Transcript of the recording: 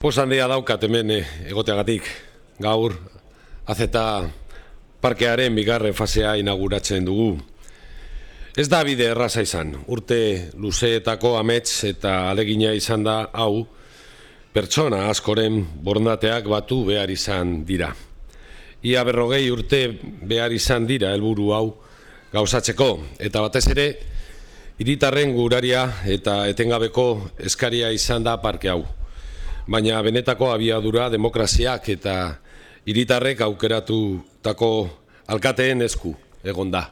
Poz handia daukat hemen egoteagatik. Gaur, azeta parkearen bigarren fasea inauguratzen dugu. Ez da bide erraza izan. Urte luzeetako amets eta alegina izan da hau, pertsona askoren borondateak batu behar izan dira. Ia 40 urte behar izan dira helburu hau gauzatzeko, eta batez ere, hiritarren guraria eta etengabeko eskaria izan da parke hau. Baina benetako abiadura demokraziak eta hiritarrek aukeratutako alkateen esku egon da.